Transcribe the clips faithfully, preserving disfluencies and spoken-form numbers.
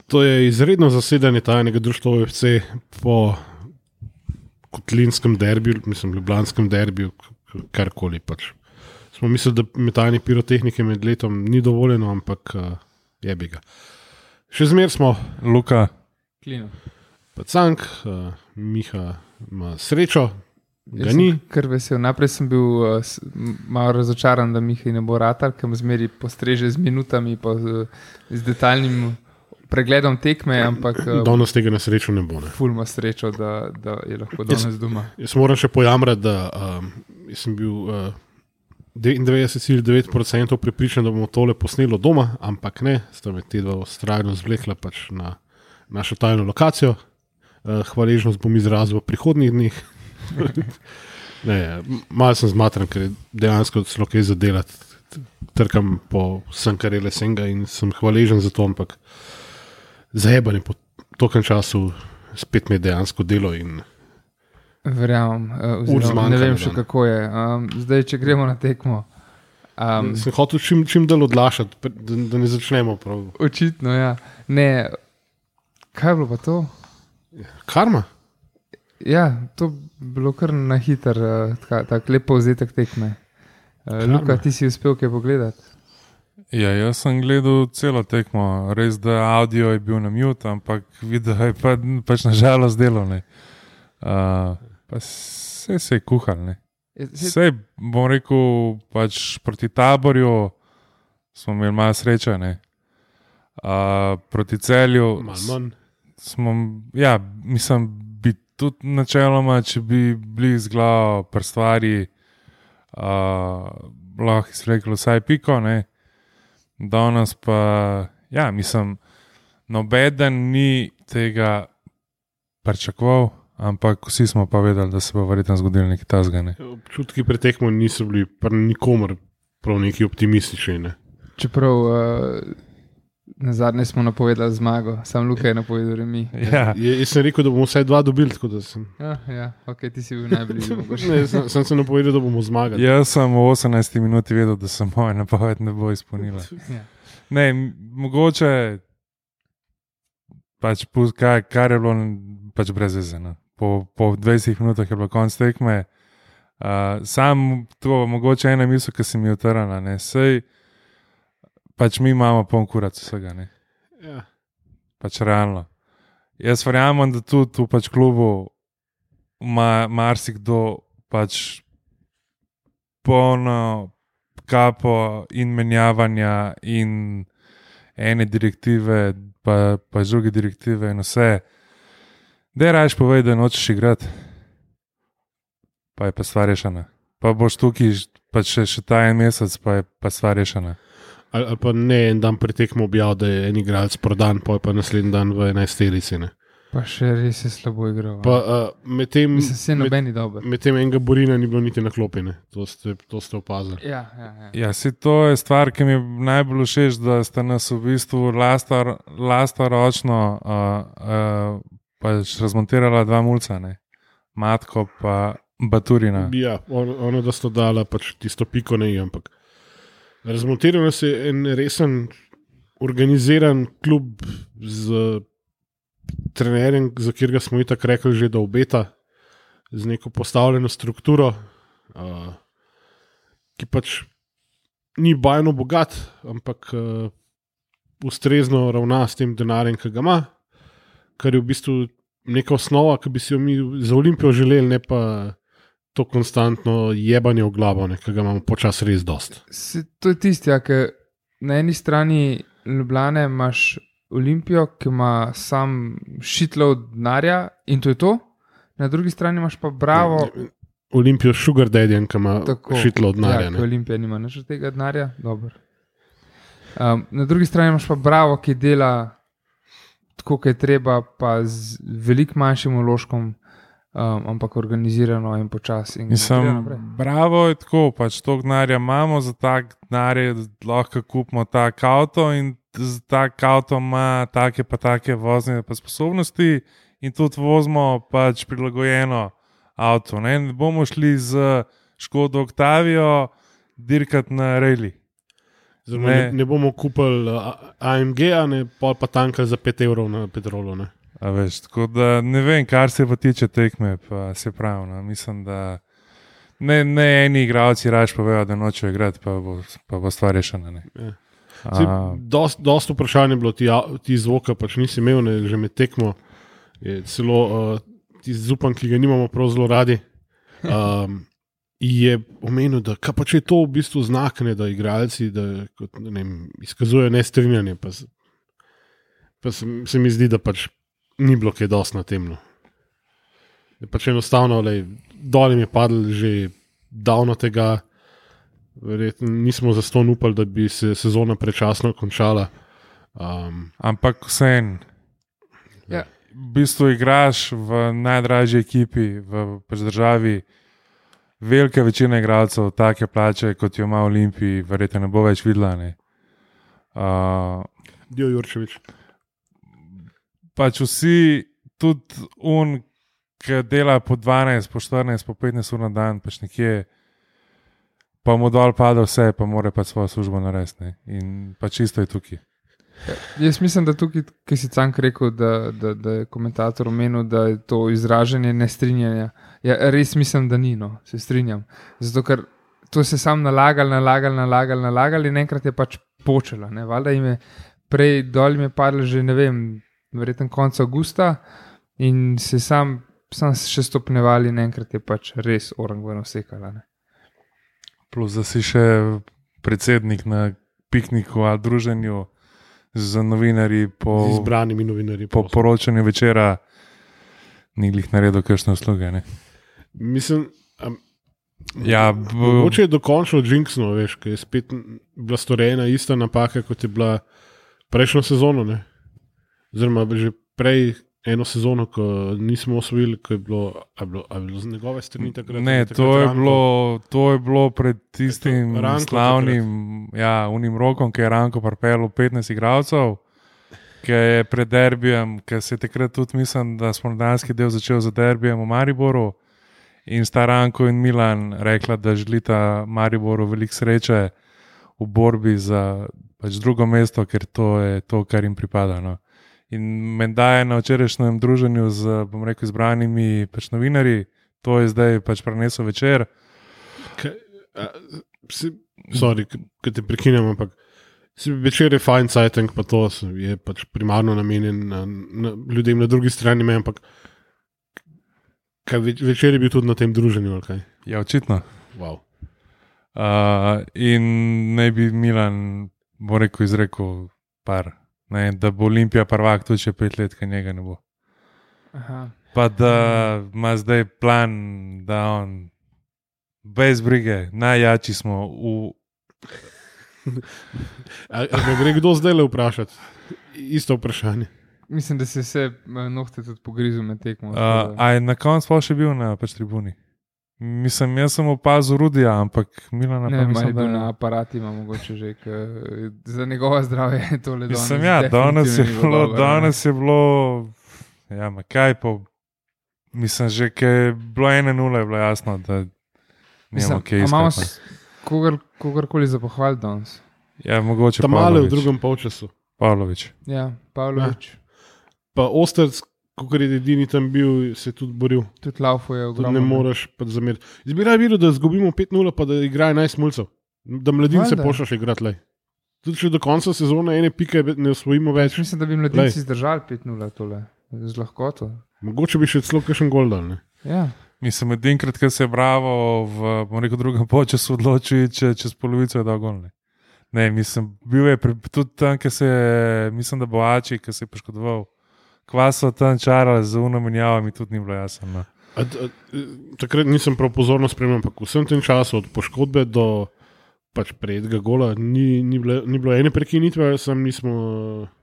To je izredno zasedanje tajnega društva U F C po kotlinskem derbiju, mislim, ljubljanskem derbiju, karkoli pač. Smo mislili, da metanje pirotehnike med letom ni dovoljeno, ampak uh, jebi ga. Še zmer smo Luka, Klino. pa Cank, uh, Miha ima srečo, ga Jaz ni. sem kar vesel. Naprej sem bil uh, s- m- malo razočaran, da Miha ne bo ratar, ker me zmeri postreže z minutami, pa z, z detaljnim pregledom tekme, ampak uh, Danes tega na srečo ne bo. Ne. ful ima srečo, da, da je lahko danes doma. Jaz moram še pojamrati, da um, jaz sem bil uh, devetindevetdeset celih devet procent prepričan, da bomo tole posnelo doma, ampak ne, sta me te dva vztrajno zvlekla pač na našo tajno lokacijo. Uh, hvaležnost bom izrazil v prihodnjih dneh. ne, malo sem zmatran, ker je dejansko celo kaj zadelati. Trkam po vsem, kar je lesenga in sem hvaležen za to, ampak zajebanje po tokem času spet mi je dejansko delo in Verjamem, uh, Ur oziroma zmanjka ne vem na še dan. kako je. Um, zdaj, če gremo na tekmo. Um, sem hotel čim, čim delo odlašati, pa da, da ne začnemo prav. očitno, ja. Ne, kaj je bilo pa to? Karma? Ja, to je bilo kar na hiter, uh, tak, tak lep povzetek tekme. Uh, Luka, ti si uspel kaj pogledati? ja, jaz sem gledal celo tekmo, res da audio je bil na mute, ampak video je pa, pač nažalost delo, ne. Uh, pa vse se je kuhal, ne. Je- se- Sej, bom rekel, pač proti Taborju smo imeli malo sreče, ne. Uh, proti Celju Malo manj. smo, ja, mislim, bi tudi načeloma, če bi bili z glavo pri stvari, uh, lahko izrekli vsaj piko, ne. Danes pa, ja, mislim, nobeden ni tega pričakoval, ampak vsi smo pa vedeli, da se bo verjetno zgodilo nekaj tasga, ne. Občutki pretekmo niso bili pri nikomer prav neki optimistični. Ne. Čeprav uh, na zadnje smo napovedali zmago, sam Luka je napovedal remi. Ja, Je, jaz sem rekel, da bomo vsaj dva dobili, tako da sem, Ja, ja, ok, ti si bil najbližji. mogoče. ne, sem, sem se napovedal, da bomo zmagali. jaz sem v osemnajsti minuti vedel, da se moja napoved ne bo izpolnila. Ja. Ne, m- mogoče pač pust, kar, kar je bilo pač brez veze. No. Po, po dvajsetih minutah je bilo konc tekme. Uh, sam to, mogoče ena misel, ki se mi je utrnila, ne, sej pač mi imamo poln kurac vsega, ne, Ja. pač realno. Jaz verjamem, da tudi v pač klubu ima marsikdo pač polno kapo in menjavanja in ene direktive, pa, pa druge direktive in vse. Dej rajš povej, da nočeš igrati, pa je pa stvar rešena. Pa boš tukaj pač še, še ta en mesec, pa je pa stvar rešena. Ali, ali pa ne en dan pretekmo objav, da je en igralec prodan, pa je pa naslednji dan v enajsterici. Ne. Pa še res je slabo igral. Pa uh, medtem Mislim, se med, noben ni dober. med tem enega Borina ni bilo niti na klopi, ne. To ste, to ste opazili. Ja, ja, ja. Ja, si to je stvar, ki mi je najbolj všeč, da ste nas v bistvu lastar, lastoročno uh, uh, pač razmontirala dva mulca, ne. Matko pa Baturina. Ja, ono, ono da sta dala pač tisto piko ne, ampak razmontiral se je en resen organiziran klub z trenerjem, za katerega smo itak rekli že, da obeta, z neko postavljeno strukturo, uh, ki pač ni bajno bogat, ampak uh, ustrezno ravna s tem denarjem, ki ga ima, kar je v bistvu neka osnova, ki bi si jo mi za Olimpijo želeli, ne pa to konstantno jebanje v glavo, ne, ki ga imamo počasi res dost. Se, to je tisti, ja, ker na eni strani Ljubljane imaš Olimpijo, ki ima sam šitlo denarja in to je to, na drugi strani imaš pa Bravo. Olimpijo s Sugar Daddyjem, ki ima Tako, šitlo od denarja. Ja, ne. ker Olimpija nima nič od tega denarja, dobro. Um, na drugi strani imaš pa Bravo, ki dela tako, kot je treba, pa z veliko manjšim vložkom, um, ampak organizirano in počasi. in gre Mislim, naprej. bravo je tako, pač to denarja imamo, za tak denar lahko kupimo tak avto in za tak avto ima take pa take vozne pa sposobnosti in tudi vozimo pač prilagojeno avto. Ne, ne bomo šli z Škodo Octavio dirkati na reli. Zdaj, ne. Ne, ne bomo kupili A M G-a, pol pa tanka za pet evrov na petrolu. Ne. A veš, tako da ne vem, kar se pa tiče tekme, pa se pravi, no. Mislim, da ne, ne eni igralci raje povejo, da nočejo igrati, pa bo, pa bo stvar rešena. Ne. Ja. Sej, dost, dost vprašanje je bilo, ti, ti zvoka pač nisi imel, ne, že med tekmo je celo uh, ti zupan, ki ga nimamo prav zelo radi, um, je omenil, da pa če je to v bistvu znak, ne, da igralci da, kot, ne vem, izkazujejo nestrinjanje, pa, se, pa se, se mi zdi, da pač ni bilo kaj dosti na tem. No. Pač enostavno, lej, dol jim je padlo že davno tega, verjetno nismo zaston upali, da bi se sezona prečasno končala. Um, Ampak vseeno, Ja. v bistvu igraš v najdražji ekipi v pač državi, velika večina igralcev take plače, kot jo ima v Olimpiji, verjetno ne bo več videla. Ne. Uh, Dio Jurčevič. pač vsi, tudi un, ki dela po dvanajst, po štirinajst, po petnajst ur na dan, pač nekje, pa mu dol pada vse, pa mora pa svojo službo narediti. In pač čisto je tukaj. Jaz mislim, da tukaj, ki si Cank rekel, da, da, da je komentator omenil, da je to izražanje nestrinjanja. Ja, res mislim, da ni, no, se strinjam. Zato, ker to se sam nalagali, nalagali, nalagali, nalagali in enkrat je pač počelo. Ne? Valjda jim je prej dol jim je padlo že, ne vem, verjetno konec avgusta in se sam, sam še stopnevali in enkrat je pač res orangvano sekala. Ne? Plus, da si še predsednik na pikniku ali druženju z novinarji po, Z izbranimi novinarji. po poročanju večera, ni glih naredil kakšne usluge. Ne? Mislim, um, Ja, b- mogoče je dokončno jinxno, veš, ker je spet bila storjena ista napaka, kot je bila prejšnjo sezono. Ne? Oziroma, že prej eno sezono, ko nismo osvojili, ko je bilo, a je bilo, a je bilo z njegove strani takrat. Ne, takrat to je, Ranko. bilo, to je bilo pred tistim Je to Ranko slavnim, ja, unim rokom, ki je Ranko pripeljal petnajst igralcev, ki je pred derbijem, ki se je takrat tudi, mislim, da smo danski del začel za derbijem v Mariboru in sta Ranko in Milan rekla, da želita Mariboru veliko sreče v borbi za pač drugo mesto, ker to je to, kar jim pripada. No. In menda je na včerajšnjem druženju z, bom rekel, izbranimi pač novinarji, to je zdaj pač prenesel večer. Kaj, a, si, sorry, ki te prekinem, ampak si večer je fajn cajtank, pa to je pač primarno namenjen na, na ljudem na drugi strani meje, ampak kaj, več, večer je bil tudi na tem druženju, ali kaj? Ja, očitno. Wow. Uh, in naj bi Milan, bo rekel, izrekel par, ne, da bo Olimpija prvak tudi še pet let, kaj njega ne bo. Aha. Pa da ima zdaj plan, da on brez brige, najjači smo v. A, a ga gre kdo zdaj le vprašati? Isto vprašanje. Mislim, da se vse eh, nohte tudi pogrizel med tekmo. Uh, tako da- a je na koncu pa še bil na pač tribuni? Mislim, jaz sem opazil Rudija, ampak Milana Ne, pa vem, ali mislim, je bil da na aparati, ima mogoče že, ke, za njegovo zdravje je tole danes. Mislim, ja, danes je definitivno ni bilo, dobro, ne. danes je bilo, ja, ma kaj pa, mislim, že kaj je bilo ena nula, je bilo jasno, da nimamo kaj a imamo iskati. s- kogar, kogarkoli za pohval danes. Ja, mogoče Tam male v Pavlović. drugem polčasu. Pavlović. Ja, Pavlović, Pa Osterc, kot je edini tam bil, se je tudi boril. tudi Laufo je Tudi ogromno. ne moreš pa zameriti. Jaz bi rad videl, da izgubimo pet nula, pa da igra enajst mulcev. Da mladince Valjda. pošljaš igrati. Lej. Tudi če do konca sezone ene pike ne osvojimo več, Mislim, da bi mladinci zdržali pet nula tole, z lahkoto. mogoče bi še celo kakšen gol dal. Ne? Ja. Mislim, edinkrat, ko se je Bravo v, bom rekel, drugem polčasu odločil, če čez polovico je dal gol. Ne, ne mislim, bil je pri, tudi tam, ki se je, mislim, da Boači, ki se je poškodoval. Kvaso tam čarali z uno menjavo, mi tudi ni bilo jasno. No. A, a, takrat nisem prav pozorno spremljal, ampak vsem tem času, od poškodbe do pač prejetega gola, ni, ni, bilo, ni bilo ene prekinitve, sem nismo.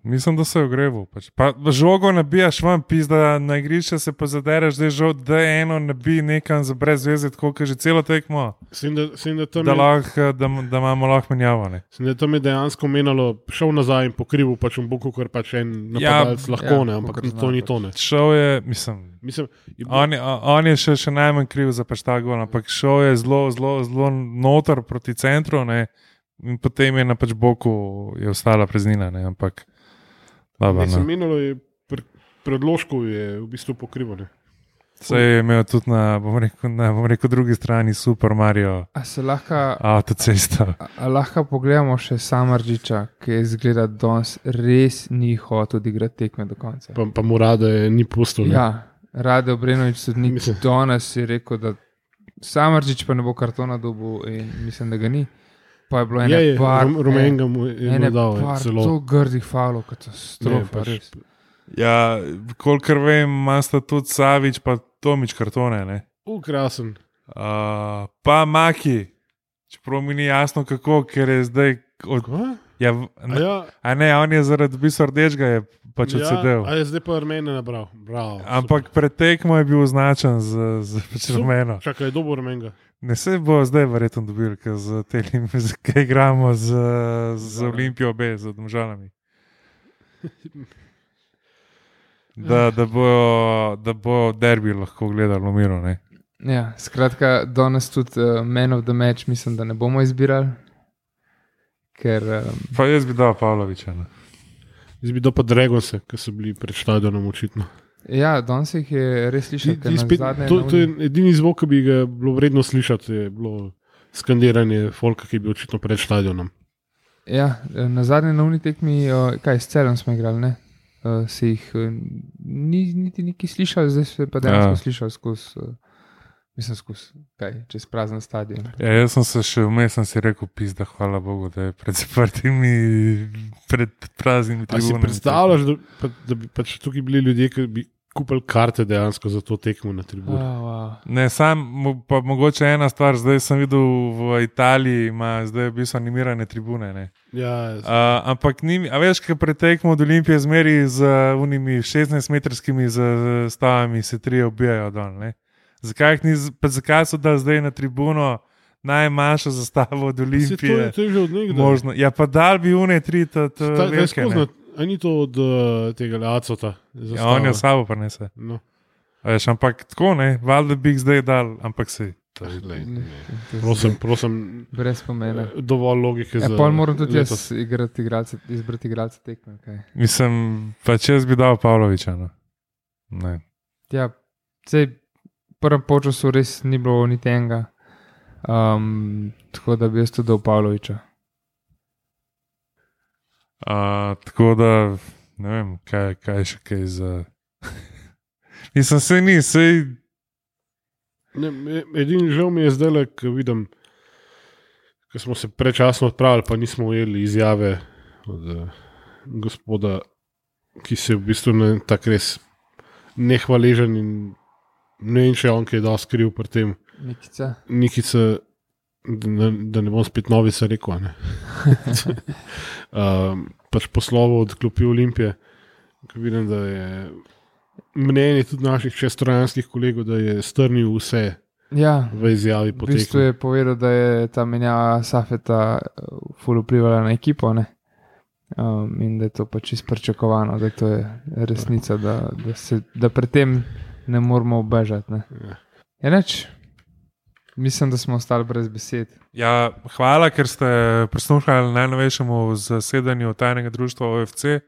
Mislim, da se je ogreval. Pač. Pa žogo nabijaš vam, pizda na igrišče se pa zadereš, da je žog, da je eno nabi nekam za brez veze, tako kot že celo tekmo, Sem, da, sem, da, tam da, je, lahko, da, da imamo lahko menjavo. Ne. sem, da tam je dejansko menalo, šel nazaj in pokrival pač v boku, ker pač en napadalec Ja, lahko ja, ne, ampak kakor zna to ni pač. to ne. Šel je, mislim, Mislim, je bil, on je, on je še, še najmanj kriv za pač ta gol, ampak šel je zelo, zelo, zelo noter proti centru, ne. in potem je na pač boku je ostala preznina, ne, ampak dobro, Ne, sem no. menilo je pre, predložkov je v bistvu pokrivane. Se je imel tudi na, bom rekel, na bom rekel, drugi strani Super Mario A se lahko, avtocesta. a, a lahko pogledamo še Samardžiča, ki je izgleda danes res ni hotel odigrati tekme do konca. Pa, pa mu rade ni pustil. ne. Ja, Rade Obrenovič sodnik Mislim- danes je rekel, da Samardžič pa ne bo kartona dobil in mislim, da ga ni. Pa je bilo ene Je, je, par, rum- rumenega mu je ene mu dal, je, par zelo. zelo grdih falov, Ne, katastrofa, pač- res. Ja, kolikor vem, ima sta tudi Savič pa Tomič kartone, ne. U, krasen. Uh, pa Maki, čeprav mi ni jasno kako, ker je zdaj. Od, Kva? ja, v- A ja, a ne, on je zaradi bistva rdečega je pač ja, odsedel. a je zdaj pa Armene nabral. Bravo. Ampak pred tekmo je bil označen z, z pač Super. rumeno. Čakaj, je dobo Armenga. Ne se bo zdaj verjetno dobil, ker z tem, kaj igramo z, z Olimpijo B, z Domžalami. Da, da bo, da bo derbi lahko gledali v miru. Ne? Ja, skratka, danes tudi uh, Man of the Match mislim, da ne bomo izbirali, ker um, Pa jaz bi dal Pavloviča. Ne? Zdaj bi dal pa Dragonse, ki so bili pred stadionom očitno. ja, danes jih je res Ti, slišati. ti spet, to, to je edini zvok, ki bi ga bilo vredno slišati, je bilo skandiranje folka, ki je bil očitno pred stadionom. Ja, na zadnji novni tekmi, uh, kaj s celom smo igrali, ne? Uh, se jih uh, ni niti neki slišali, zdaj se pa dejansko Ja. slišali skozi, uh, mislim skozi, kaj, čez prazen stadion. Ja, jaz sem se še vmes sem si rekel, pizda, hvala Bogu, da je pred zaprtimi, pred praznimi A si tribunami. predstavljaš, da, pa, da bi pač tukaj bili ljudje, ki bi kupili karte dejansko za to tekmo na tribuni? Oh, wow. Ne, sam, mo- pa mogoče ena stvar, zdaj sem videl v Italiji, ima zdaj v bistvu animirane tribune. Ne. Ja, Uh, ampak, ni, a veš, kaj pretekmo od Olimpije zmeri z uh, unimi šestnajstmetrskimi zastavami, se tri ubijajo dol. Ne. Zakaj, jih ni z- pa zakaj so dali zdaj na tribuno najmanjšo zastavo od se to, je, Olimpije? to je že od nekdaj. Možno. Ja, pa dal bi une tri, ta, ta Ta, ta je velike. skozi, ne. na- a ni to od uh, tega Acota? Ja, on je v sabo prenese. No, A Veš, ampak tako ne, valjda bi jih zdaj dal, ampak se. lej, Ne, ne. to je Prosim, prosim, brez pomena. dovolj logike Ja, za pol moram tudi jaz letos. igrati igralce, izbrati igralce tekme. Okay. Mislim, pa če jaz bi dal Pavloviča. No. Ne. Ja, sej v prvem polčasu res ni bilo niti enega, um, tako da bi jaz tudi dal Pavloviča. Uh, tako da ne vem, kaj, kaj še kaj za. Mislim, se ni, sej. Ne, e- edini žal mi je zdaj, ko vidim, ko smo se prečasno odpravili, pa nismo ujeli izjave od uh, gospoda, ki se je v bistvu ne, tako res nehvaležen in ne vem, če je on kaj dosti kriv pri tem. Nikica. Nikica, da, ne- da ne bom spet novica rekel. a Ne? um, pač poslovo od klopi Olimpije, ko vidim, da je mnenje tudi naših čestrojanskih kolegov, da je strnil vse Ja, v izjavi v po bistvu tekmi. je povedal, da je ta menjava Safeta uh, ful vplivala na ekipo, ne? Um, in da je to pač izprečakovano, da to je resnica, da, da, se, da pred tem ne moramo obežati. Ne? Ja. Je neč? Mislim, da smo ostali brez besed. Ja, hvala, ker ste prisluhnili najnovejšemu zasedanju tajnega društva O F C.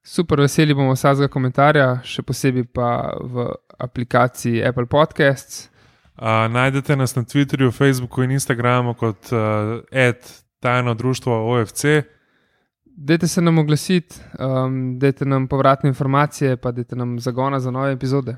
Super, veseli bomo vsakega komentarja, še posebej pa v aplikaciji Apple Podcasts. Uh, najdete nas na Twitterju, Facebooku in Instagramu kot uh, et tajno društvo O F C. Dajte se nam oglasiti, um, dajte nam povratne informacije, pa dajte nam zagona za nove epizode.